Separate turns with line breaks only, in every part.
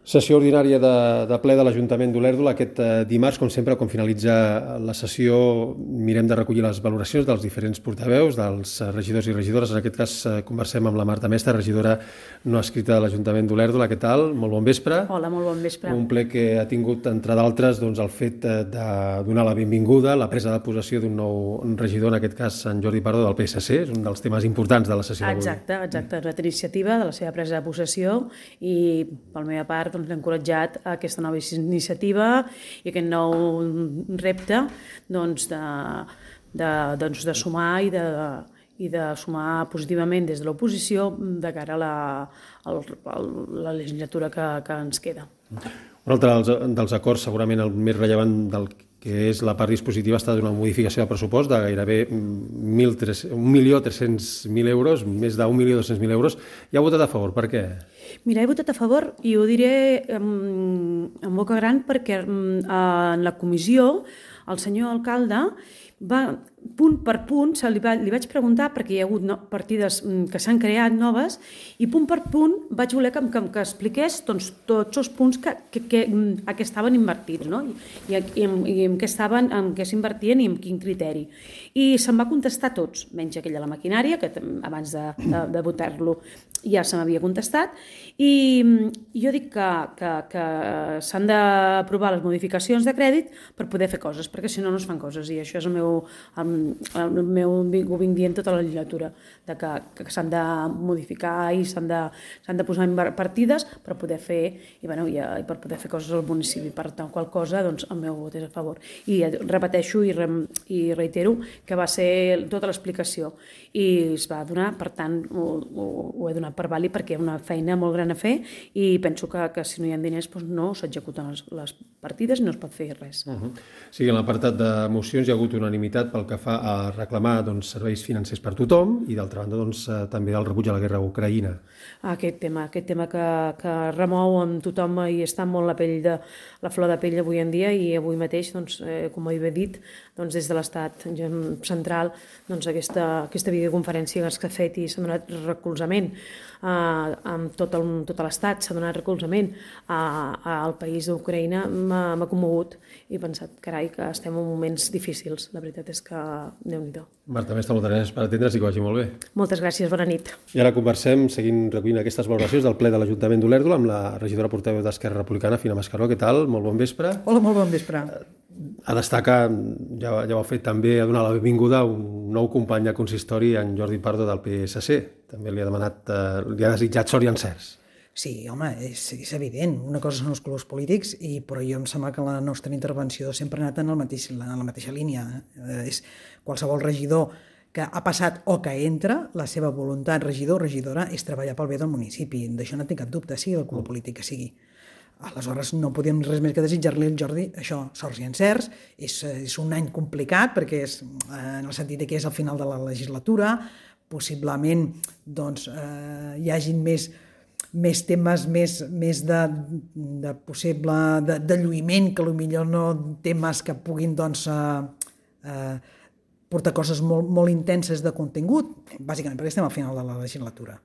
Sessió ordinària de ple de l'Ajuntament d'Olèrdola. Aquest dimarts, com sempre, quan finalitza la sessió, mirem de recollir les valoracions dels diferents portaveus, dels regidors i regidores. En aquest cas, conversem amb la Marta Mestre, regidora no escrita de l'Ajuntament d'Olèrdola. Què tal? Molt bon vespre.
Hola, molt bon vespre.
Un ple que ha tingut, entre d'altres, el fet de donar la benvinguda, la presa de possessió d'un nou regidor, en aquest cas, en Jordi Pardo, del PSC. És un dels temes importants de la sessió d'avui.
Exacte. Una iniciativa de la seva presa de possessió i, per la meva part, l'he encoratjat a aquesta nova iniciativa i aquest nou repte de sumar i de sumar positivament des de l'oposició de cara a la legislatura que ens queda.
Un altre dels acords, segurament el més rellevant del que és la part dispositiva, ha estat una modificació de pressupost de gairebé 1.300.000 euros, més de 1.200.000 euros. I ha votat a favor. Per què?
Mira, he votat a favor i ho diré en boca gran perquè en la comissió el senyor alcalde va, punt per punt, li vaig preguntar, perquè hi ha hagut partides que s'han creat noves, i punt per punt vaig voler que expliqués tots els punts a què estaven invertits, no? I en què s'invertien i en quin criteri. I se'm va contestar tots, menys aquella la maquinària, que abans de votar-lo ja se m'havia contestat, i jo dic que s'han d'aprovar les modificacions de crèdit per poder fer coses, perquè si no, no es fan coses, i això és ho vinc dient tota la legislatura, que s'han de modificar i s'han de posar partides per poder fer i per poder fer coses al municipi. Per tant, qual cosa, doncs el meu vot és a favor. I repeteixo i reitero que va ser tota l'explicació i es va donar, per tant, ho he donat per vàlid perquè hi ha una feina molt gran a fer i penso que si no hi ha diners no s'executen les partides i no es pot fer res.
Sí, en l'apartat de mocions hi ha hagut unanimitat pel que fa a reclamar serveis financers per tothom i, d'altra banda, també el rebuig a la guerra a Ucraïna.
Aquest tema que remou amb tothom i està molt la flor de pell avui en dia, i avui mateix, com he dit, des de l'estat central, aquesta videoconferència que ha fet i s'ha donat recolzament amb tot l'estat, s'ha donat recolzament al país d'Ucraïna, m'ha commogut i he pensat, carai, que estem en moments difícils. La veritat és que Déu-n'hi-do.
Marta Mestre, moltes gràcies per atendre's i que vagi molt bé.
Moltes gràcies, bona nit.
I ara conversem, seguint recollint aquestes valoracions del ple de l'Ajuntament d'Olèrdola amb la regidora portaveu d'Esquerra Republicana, Fina Mascaró. Què tal? Molt bon vespre.
Hola, molt bon vespre.
A destacar, ja ho ha fet també, a donar la benvinguda a un nou company de consistori, en Jordi Pardo, del PSC. També li ha desitjat sort i encerts.
Sí, home, és evident. Una cosa són els colors polítics, però jo em sembla que la nostra intervenció sempre ha anat en la mateixa línia. És qualsevol regidor que ha passat o que entra, la seva voluntat, regidor o regidora, és treballar pel bé del municipi. D'això no tinc cap dubte, sigui el color polític que sigui. Aleshores, no podíem res més que desitjar-li al Jordi això, sorts i encerts. És un any complicat, perquè és en el sentit que és al final de la legislatura, possiblement hi hagin més temes més de possible de lluïment, que potser no temes que puguin portar coses molt intenses de contingut, bàsicament perquè estem al final de la legislatura.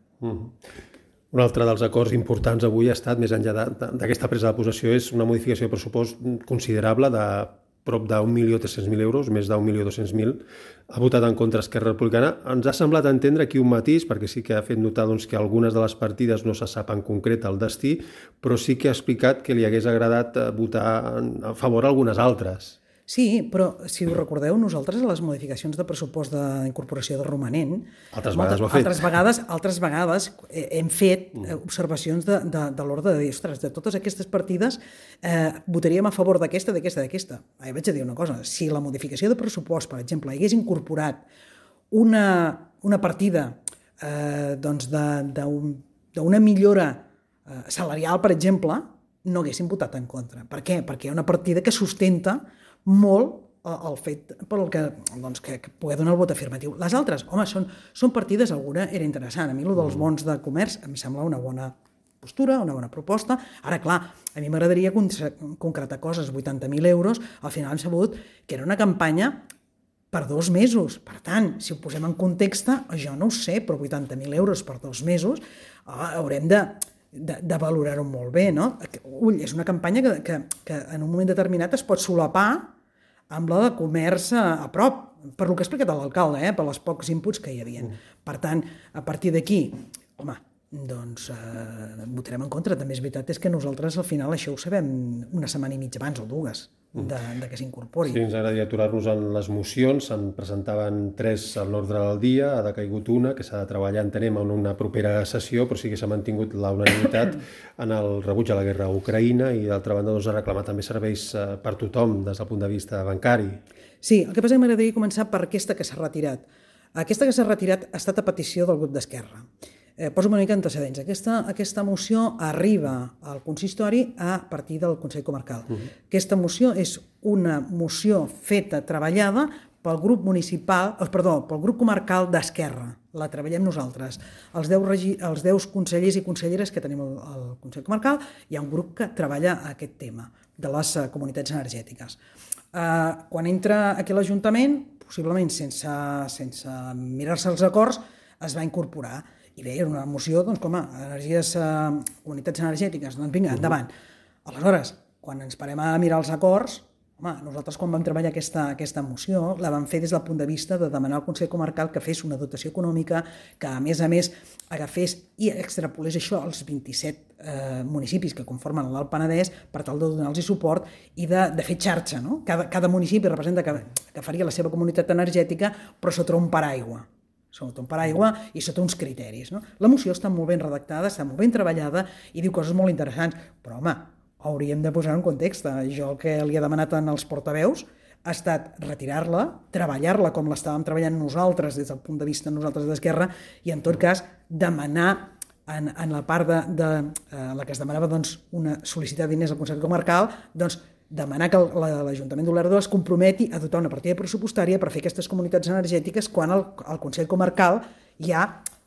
Un altre dels acords importants avui ha estat, més enllà d'aquesta presa de possessió, és una modificació de pressupost considerable de prop de 1.300.000 euros, més de 1.200.000. Ha votat en contra Esquerra Republicana. Ens ha semblat entendre aquí un matís, perquè sí que ha fet notar que algunes de les partides no se sap en concret el destí, però sí que ha explicat que li hagués agradat votar a favor algunes altres.
Sí, però si us recordeu, nosaltres a les modificacions de pressupost d'incorporació de romanent,
altres vegades ho ha fet.
Altres vegades hem fet observacions de l'ordre de dir, ostres, de totes aquestes partides votaríem a favor d'aquesta. Vaig a dir una cosa, si la modificació de pressupost, per exemple, hagués incorporat una partida d'una millora salarial, per exemple, no haguéssim votat en contra. Per què? Perquè hi ha una partida que sustenta molt el fet que pugui donar el vot afirmatiu. Les altres, home, són partides, alguna era interessant. A mi el dels bons de comerç em sembla una bona postura, una bona proposta. Ara, clar, a mi m'agradaria concretar coses, 80.000 euros, al final hem sabut que era una campanya per 2 mesos. Per tant, si ho posem en context, jo no ho sé, però 80.000 euros per 2 mesos haurem de de valorar-ho molt bé, no? Ull, és una campanya que en un moment determinat es pot solapar amb la de comerç a prop, per lo que ha explicat l'alcalde, per els pocs inputs que hi havia. Per tant, a partir d'aquí, home, doncs votarem en contra. També és veritat que nosaltres al final això ho sabem una setmana i mitja abans o dues de que s'incorpori.
Sí, ens agradaria aturar-nos en les mocions. Se'n presentaven 3 a l'ordre del dia, ha decaigut una, que s'ha de treballar, entenem, en una propera sessió, però sí que s'ha mantingut la unanimitat en el rebuig a la guerra a Ucraïna i, d'altra banda, doncs, a reclamar també serveis per tothom des del punt de vista bancari.
Sí, el que passa és que m'agradaria començar per aquesta que s'ha retirat. Aquesta que s'ha retirat ha estat a petició del grup d'Esquerra. Poso una mica antecedents. Aquesta moció arriba al consistori a partir del Consell Comarcal. Aquesta moció és una moció feta, treballada pel grup comarcal d'Esquerra. La treballem nosaltres. Els 10 consellers i conselleres que tenim al Consell Comarcal, hi ha un grup que treballa aquest tema de les comunitats energètiques. Quan entra aquí a l'Ajuntament, possiblement sense mirar-se els acords, es va incorporar. I bé, era una moció, doncs, com a comunitats energètiques, doncs vinga, endavant. Aleshores, quan ens parem a mirar els acords, home, nosaltres quan vam treballar aquesta moció la vam fer des del punt de vista de demanar al Consell Comarcal que fes una dotació econòmica, que a més agafés i extrapolés això als 27 municipis que conformen l'Alt Penedès per tal de donar-los suport i de fer xarxa, no? Cada municipi representa que faria la seva comunitat energètica però sota un paraigua. Sota un paraigua i sota uns criteris. No? La moció està molt ben redactada, està molt ben treballada i diu coses molt interessants, però home, hauríem de posar en context. Jo el que li he demanat als portaveus ha estat retirar-la, treballar-la com l'estàvem treballant nosaltres des del punt de vista nosaltres d'Esquerra i en tot cas demanar en la part de la que es demanava doncs, sol·licitar diners al Consell Comarcal, doncs demanar que l'Ajuntament d'Olèrdola es comprometi a dotar una partida pressupostària per fer aquestes comunitats energètiques quan el Consell Comarcal ja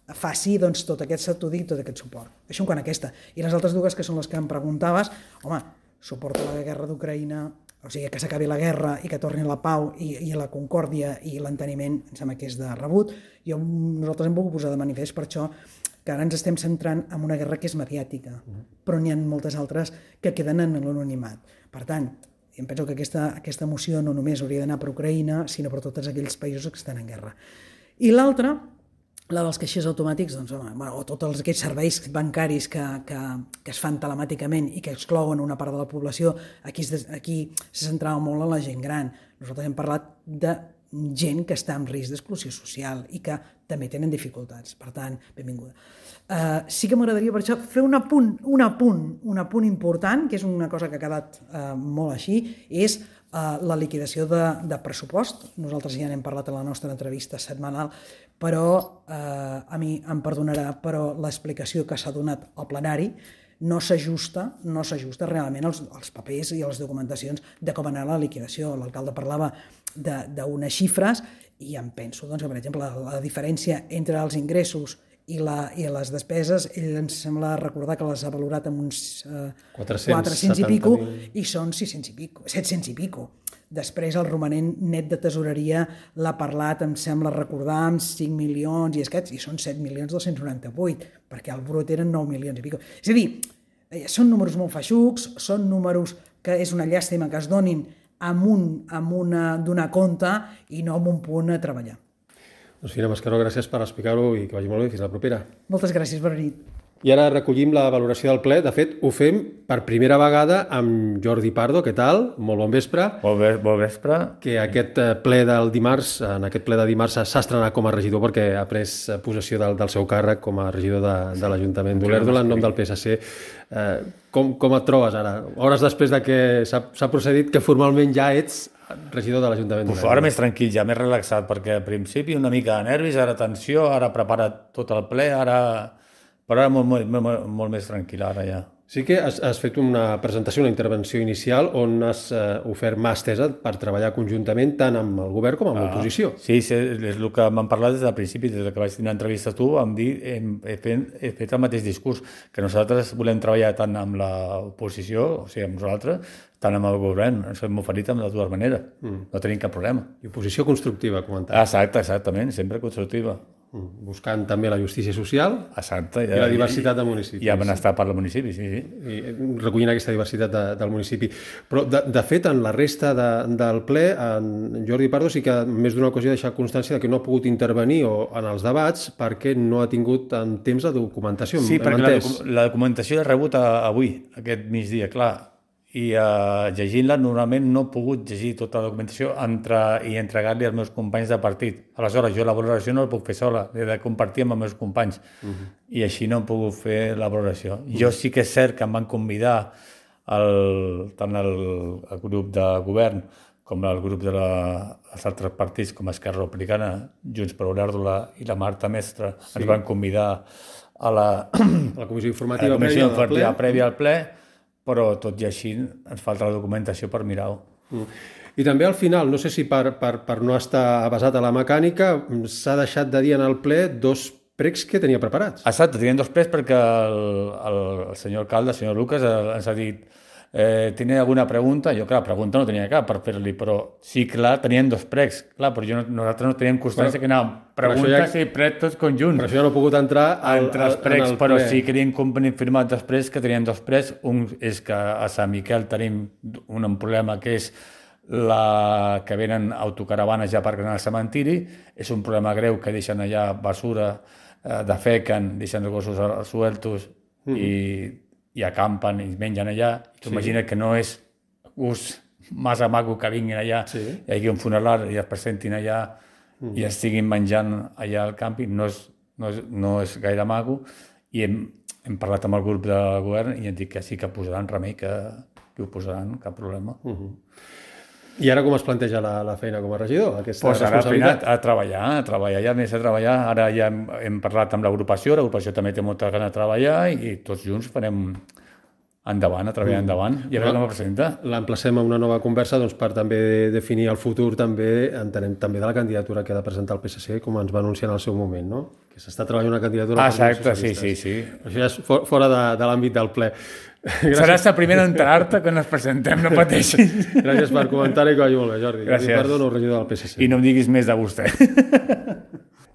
faci doncs, tot aquest estudi i tot aquest suport. Això en quant a aquesta. I les altres dues, que són les que em preguntaves, home, suport a la guerra d'Ucraïna, o sigui, que s'acabi la guerra i que torni la pau i la concòrdia i l'enteniment, em sembla que és de rebut. Nosaltres hem volgut posar de manifest per això que ara ens estem centrant en una guerra que és mediàtica, però n'hi ha moltes altres que queden en l'anonimat. Per tant, em penso que aquesta moció no només hauria d'anar per Ucraïna, sinó per tots aquells països que estan en guerra. I l'altra, la dels caixers automàtics, doncs, o tots aquells serveis bancaris que es fan telemàticament i que exclouen una part de la població, aquí se centrava molt en la gent gran. Nosaltres hem parlat de gent que està en risc d'exclusió social i que també tenen dificultats. Per tant, benvinguda. Sí que m'agradaria per això fer un apunt important, que és una cosa que ha quedat molt així, és la liquidació de pressupost. Nosaltres ja n'hem parlat a la nostra entrevista setmanal, però a mi em perdonarà, però l'explicació que s'ha donat al plenari no s'ajusta realment als papers i a les documentacions de com anar a la liquidació. L'alcalde parlava d'unes xifres i em penso que, per exemple, la diferència entre els ingressos i les despeses, ell ens sembla recordar que les ha valorat amb uns 400 i pico i són 600 i pico, 700 i pico. Després el romanent net de tesoreria l'ha parlat, em sembla recordar, amb 5 milions i escaig, i són 7.298.000, perquè el brut eren 9 milions i pico. És a dir, són números molt feixucs, són números que és una llàstima que es donin donar compte i no amb un punt a treballar.
Doncs Fina Mascaró, gràcies per explicar-ho i que vagi molt bé. Fins la propera.
Moltes gràcies, bona nit.
I ara recollim la valoració del ple. De fet, ho fem per primera vegada amb Jordi Pardo. Què tal? Molt bon vespre.
Bon vespre.
Que aquest ple del dimarts, en aquest ple de dimarts s'ha estrenat com a regidor perquè ha pres possessió del seu càrrec com a regidor de l'Ajuntament d'Olèrdola en nom del PSC. Com et trobes ara? Hores després de que s'ha procedit que formalment ja ets regidor de l'Ajuntament d'Olèrdola.
Ara més tranquil, ja més relaxat, perquè al principi una mica de nervis, ara tensió, ara prepara tot el ple, però ara molt més tranquil, ara ja.
Sí que has fet una presentació, una intervenció inicial on has ofert mà estesa per treballar conjuntament tant amb el govern com amb l'oposició.
Sí, és el que m'han parlat des del principi, des que vaig tenir una entrevista a tu, he fet el mateix discurs, que nosaltres volem treballar tant amb l'oposició, o sigui, amb nosaltres, tant amb el govern. Ens hem oferit de dues maneres, no tenim cap problema.
I oposició constructiva, comentava.
Exactament, sempre constructiva.
buscant també la justícia social
Exacte.
i la diversitat de municipis.
I el benestar per al municipi, sí.
I recollint aquesta diversitat del municipi. Però, de fet, en la resta del ple, en Jordi Pardo sí que en més d'una ocasió ha deixat constància que no ha pogut intervenir en els debats perquè no ha tingut temps de documentació.
Sí, perquè la documentació l'he rebut avui, aquest migdia, clar. I llegint-la normalment no he pogut llegir tota la documentació i entregar-li als meus companys de partit. Aleshores, jo la valoració no la puc fer sola, l'he de compartir amb els meus companys. I així no he pogut fer la valoració. Jo sí que és cert que em van convidar tant el grup de govern com el grup dels altres partits com Esquerra Republicana, Junts per Olèrdola i la Marta Mestre, ens van convidar a la
comissió informativa
prèvia al ple, però tot i així ens falta la documentació per mirar-ho.
I també al final, no sé si per no estar basat a la mecànica, s'ha deixat de dir en el ple 2 pregs que tenia preparats.
Exacte, tenien 2 pregs perquè el senyor alcalde, el senyor Lucas, ens ha dit ¿tiene alguna pregunta? Jo, clar, pregunta no tenia cap per fer-li, però sí, clar, tenien 2 pregs, clar, però nosaltres no teníem constància que anàvem preguntes i pregs tots conjunts.
Per això ja no he pogut entrar
entre els pregs, però sí que havien confirmat després que tenien 2 pregs. Un és que a Sant Miquel tenim un problema que és que venen autocaravanes ja aparcant al cementiri, és un problema greu que deixen allà basura, defequen, deixen els gossos sueltos i acampen i mengen allà. Tu imagina que no és gust massa maco que vinguin allà, hi hagi un funeral i es presentin allà i estiguin menjant allà al càmping, no és gaire maco. I hem parlat amb el grup de govern i hem dit que sí que posaran remei, que ho posaran, cap problema.
I ara com es planteja la feina com a regidor?
Pues ara a treballar, ja més a treballar. Ara ja hem parlat amb l'agrupació també té molta gana de treballar i tots junts farem endavant, a treballar endavant, i a veure com ho presenta.
L'emplacem a una nova conversa per també definir el futur, entenem també de la candidatura que ha de presentar el PSC, com ens va anunciar en el seu moment, no? Que s'està treballant una candidatura...
Exacte, sí.
Això ja és fora de l'àmbit del ple.
Seràs la primera a enterar-te quan ens presentem, no pateixis.
Gràcies per comentar-hi, que vagi molt bé, Jordi.
Gràcies.
Jordi Pardo, nou regidor del PSC.
I no em diguis més de vostè.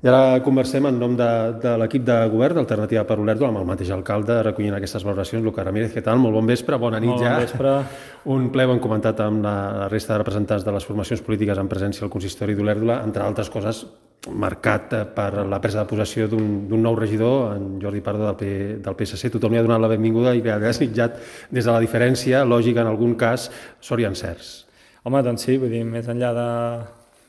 I ara conversem en nom de l'equip de govern d'Alternativa per Olèrdola amb el mateix alcalde recollint aquestes valoracions. Lucas Ramírez, què tal? Molt bon vespre, bona nit ja.
Bon vespre.
Un ple ho hem comentat amb la resta de representants de les formacions polítiques en presència al consistori d'Olèrdola, entre altres coses marcat per la presa de possessió d'un nou regidor, en Jordi Pardo del PSC. Tothom li ha donat la benvinguda i li ha desitjat des de la diferència lògica en algun cas sort i encerts.
Home, doncs sí, vull dir, més enllà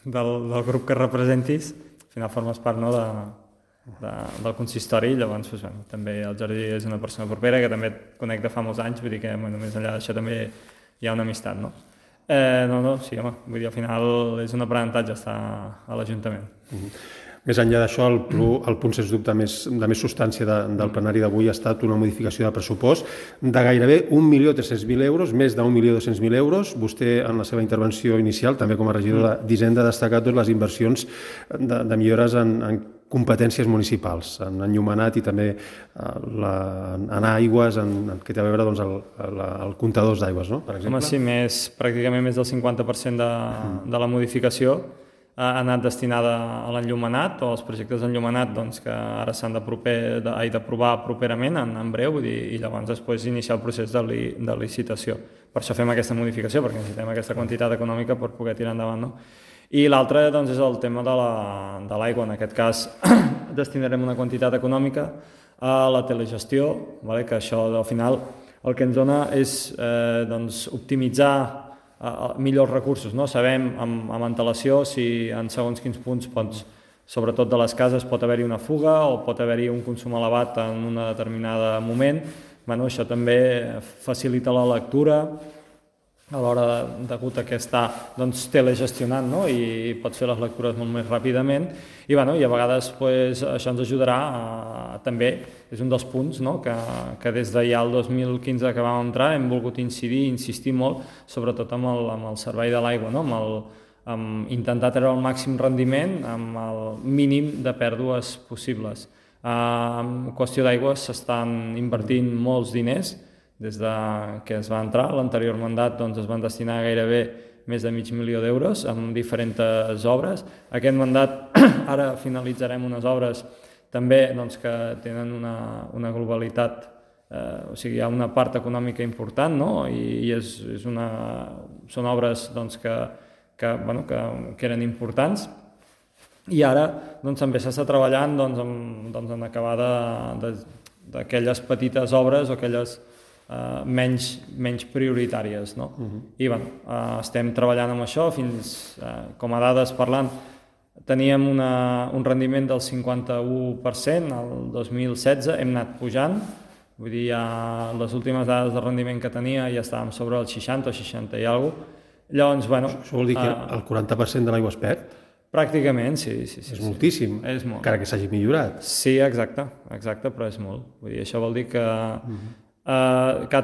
del grup que representis, al final formes part, no, del consistori, llavors doncs, bueno, també el Jordi és una persona propera que també et conec de fa molts anys, vull dir que bueno, més enllà d'això també hi ha una amistat, no? Sí, home, vull dir, al final és un aprenentatge estar a l'Ajuntament.
Més enllà d'això, el punt sens dubte de més substància del plenari d'avui ha estat una modificació de pressupost de gairebé 1.300.000 euros, més de 1.200.000 euros. Vostè, en la seva intervenció inicial, també com a regidor d'Hisenda, ha destacat les inversions de millores en competències municipals, en enllumenat i també en aigües, que té a veure el comptadors d'aigües, no? Per exemple.
Home, sí, pràcticament més del 50% de la modificació ha anat destinada a l'enllumenat o als projectes d'enllumenat doncs, que ara s'han d'aprovar properament, en breu, i llavors després iniciar el procés de licitació. Per això fem aquesta modificació, perquè necessitem aquesta quantitat econòmica per poder tirar endavant, no? I l'altre doncs, és el tema de l'aigua. En aquest cas destinarem una quantitat econòmica a la telegestió, que això al final el que ens dona és optimitzar millors recursos, no? Sabem amb antelació si en segons quins punts, sobretot de les cases, pot haver-hi una fuga o pot haver-hi un consum elevat en un determinat moment. Bueno, això també facilita la lectura a l'hora degut a que està telegestionant, no? I pot fer les lectures molt més ràpidament i a vegades això ens ajudarà també, és un dels punts, no? que des de ja el 2015 que vam entrar hem volgut insistir molt, sobretot amb el servei de l'aigua, no? Amb intentar treure el màxim rendiment amb el mínim de pèrdues possibles. En qüestió d'aigua s'estan invertint molts diners. Des que es va entrar, l'anterior mandat es van destinar gairebé més de $500.000 amb diferents obres. Aquest mandat ara finalitzarem unes obres també doncs, que tenen una globalitat, o sigui, hi ha una part econòmica important, no? I són obres doncs, que eren importants. I ara doncs, també s'està treballant en acabar d'aquelles petites obres o aquelles menys prioritàries. No? I estem treballant amb això, com a dades parlant, teníem un rendiment del 51% el 2016, hem anat pujant, vull dir, les últimes dades de rendiment que tenia ja estàvem sobre el 60 o 60 i alguna cosa. Llavors,
Això vol dir que el 40% de l'aigua es perd?
Pràcticament, sí.
És moltíssim,
és molt.
encara que s'hagi millorat.
Sí, exacte, però és molt. Vull dir, això vol dir que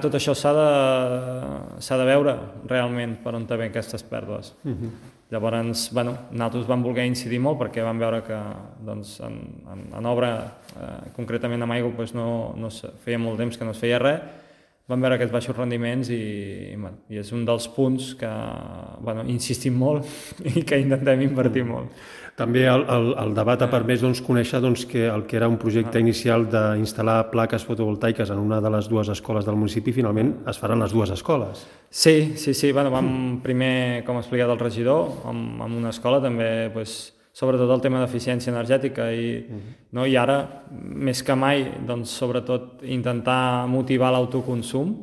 tot això s'ha de veure realment per on ve aquestes pèrdues. Llavors, nosaltres vam voler incidir molt perquè vam veure que doncs, en obra, concretament amb aigua, doncs, feia molt temps que no es feia res. Vam veure aquests baixos rendiments i és un dels punts que insistim molt i que intentem invertir molt.
També el debat ha permès conèixer que el que era un projecte inicial d'instal·lar plaques fotovoltaiques en una de les dues escoles del municipi, finalment es faran les dues escoles.
Sí. Vam primer, com ha explicat el regidor, amb una escola també, sobretot el tema d'eficiència energètica i ara, més que mai, sobretot intentar motivar l'autoconsum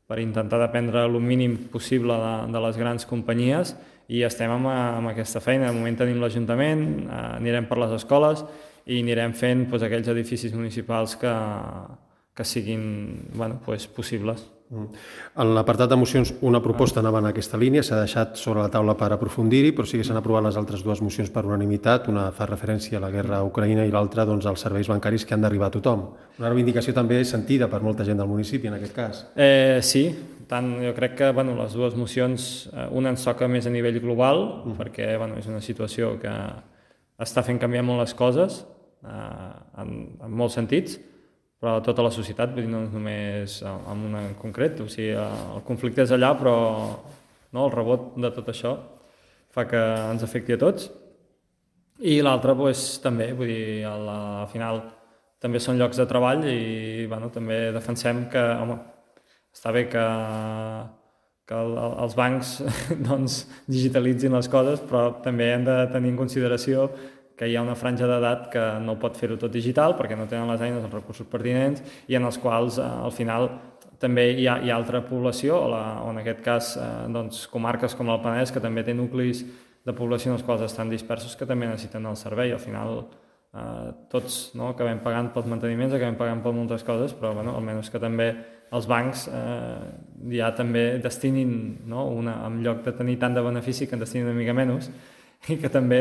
per intentar dependre el mínim possible de les grans companyies i estem amb aquesta feina. De moment tenim l'Ajuntament, anirem per les escoles i anirem fent aquells edificis municipals que siguin possibles.
En l'apartat de mocions, una proposta anava en aquesta línia, s'ha deixat sobre la taula per aprofundir-hi, però sí que s'han aprovat les altres dues mocions per unanimitat. Una fa referència a la guerra a Ucraïna i l'altra als serveis bancaris que han d'arribar a tothom. Una reivindicació també sentida per molta gent del municipi, en aquest cas.
Sí, jo crec que les dues mocions, una ens toca més a nivell global, perquè és una situació que està fent canviar molt les coses, en molts sentits, però tota la societat, no només en una en concret, o sigui, el conflicte és allà, però el rebot de tot això fa que ens afecti a tots. I l'altra també, vull dir, al final també són llocs de treball i també defensem que, està bé que els bancs digitalitzin les coses, però també hem de tenir en consideració que hi ha una franja d'edat que no pot fer-ho tot digital perquè no tenen les eines, els recursos pertinents i en els quals al final també hi ha altra població, o en aquest cas comarques com el Penedès, que també té nuclis de població en els quals estan dispersos que també necessiten el servei. Al final tots acabem pagant pels manteniments, acabem pagant per moltes coses, però almenys que també els bancs ja també destinin, en lloc de tenir tant de benefici, que en destinin una mica menys, i que també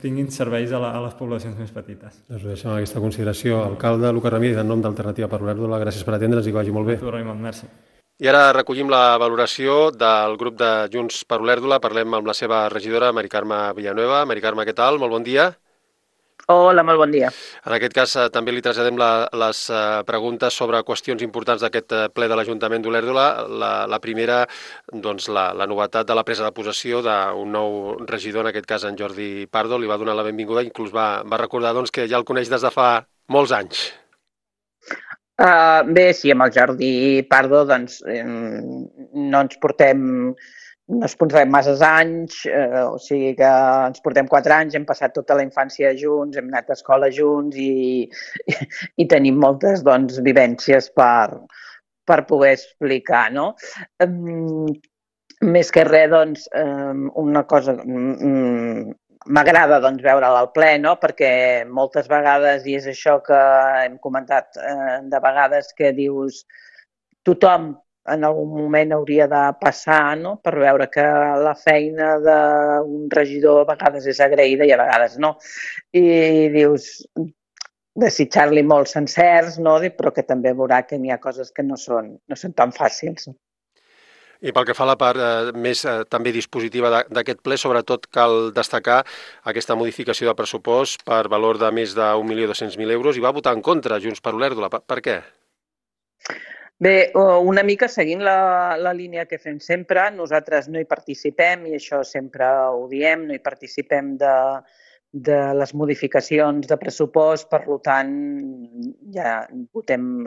tinguin serveis a les poblacions més petites.
Doncs ho deixem amb aquesta consideració. Alcalde Lucas Ramírez, en nom d'Alternativa per Olèrdola, gràcies per atendre'ns i que vagi molt bé.
Tu, Raimon, merci.
I ara recollim la valoració del grup de Junts per Olèrdola. Parlem amb la seva regidora, Mari Carme Villanueva. Mari Carme, què tal? Molt bon dia.
Hola, molt bon dia.
En aquest cas també li traslladem les preguntes sobre qüestions importants d'aquest ple de l'Ajuntament d'Olèrdola. La primera, la novetat de la presa de possessió d'un nou regidor, en aquest cas en Jordi Pardo, li va donar la benvinguda, inclús va recordar que ja el coneix des de fa molts anys.
Bé, sí, amb el Jordi Pardo no ens portem massa anys, o sigui que ens portem 4 anys, hem passat tota la infància junts, hem anat a escola junts i tenim moltes vivències per poder explicar, no? Més que res, una cosa, m'agrada veure'l al ple, no? Perquè moltes vegades, i és això que hem comentat de vegades, que dius tothom en algun moment hauria de passar, no? Per veure que la feina d'un regidor a vegades és agraïda i a vegades no. I dius, desitjar-li molts encerts, no? Però que també veurà que n'hi ha coses que no són tan fàcils.
I pel que fa a la part més també dispositiva d'aquest ple, sobretot cal destacar aquesta modificació de pressupost per valor de més de 1.200.000 euros i va votar en contra Junts per Olèrdola. Per què?
Bé, una mica seguint la línia que fem sempre, nosaltres no hi participem, i això sempre ho diem, no hi participem de les modificacions de pressupost, per tant, ja votem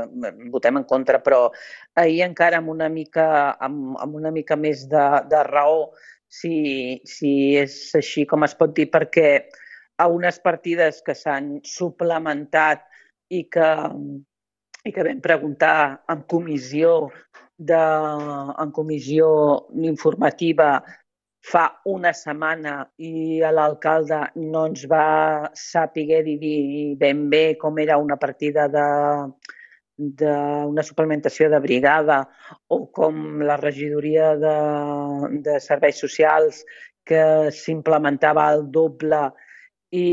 en contra, però ahir encara amb una mica més de raó, si és així com es pot dir, perquè a unes partides que s'han suplementat i que vam preguntar en comissió informativa fa una setmana i l'alcalde no ens va saber dir ben bé com era una partida d'una suplementació de brigada o com la regidoria de serveis socials que s'implementava el doble i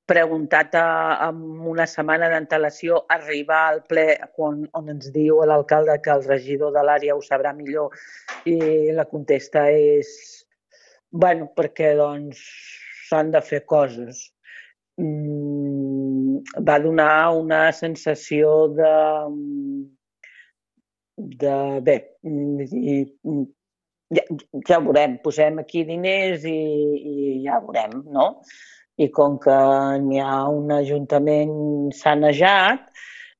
preguntat amb una setmana d'antelació, arribar al ple on ens diu l'alcalde que el regidor de l'àrea ho sabrà millor, i la contesta és perquè doncs s'han de fer coses. Va donar una sensació de ja veurem, posem aquí diners i ja veurem, no? I com que n'hi ha un ajuntament sanejat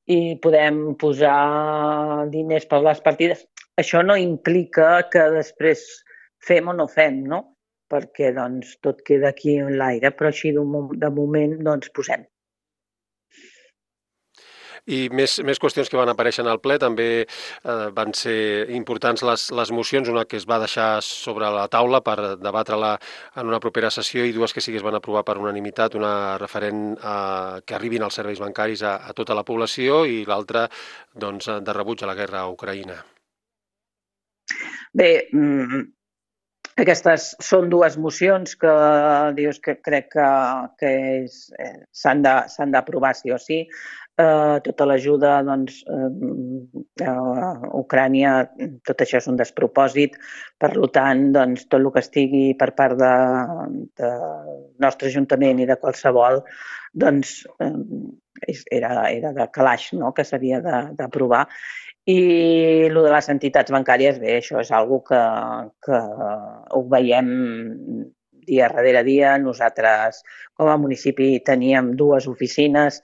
i podem posar diners per les partides, això no implica que després fem o no fem, no? Perquè doncs, tot queda aquí en l'aire, però així de moment doncs, posem.
I més qüestions que van aparèixer en el ple, també van ser importants les mocions, una que es va deixar sobre la taula per debatre-la en una propera sessió i dues que sí que es van aprovar per unanimitat, una referent que arribin els serveis bancaris a tota la població i l'altra doncs, de rebuig a la guerra a Ucraïna.
Bé, aquestes són dues mocions que dius que crec que s'han d'aprovar sí o sí. Tota l'ajuda doncs, a Ucrània, tot això és un despropòsit, per tant, doncs, tot el que estigui per part del nostre Ajuntament i de qualsevol, doncs, era de calaix, no?, que s'havia d'aprovar. I el de les entitats bancàries, bé, això és una cosa que ho veiem dia darrere dia. Nosaltres, com a municipi, teníem 2 oficines,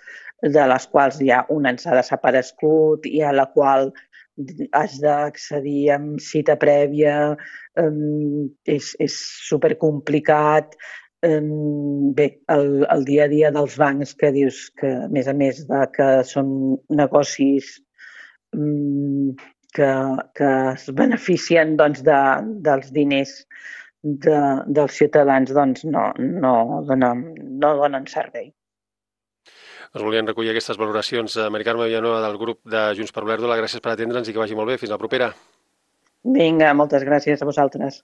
de les quals ja una ens ha desaparegut i a la qual has d'accedir amb cita prèvia, és supercomplicat. Bé, el dia a dia dels bancs, que dius que, a més que són negocis que es beneficien doncs, dels diners dels ciutadans, doncs no donen servei.
Us volien recollir aquestes valoracions. Mari Carme Villanueva, del grup de Junts per Olèrdola, gràcies per atendre'ns i que vagi molt bé. Fins la propera.
Vinga, moltes gràcies a vosaltres.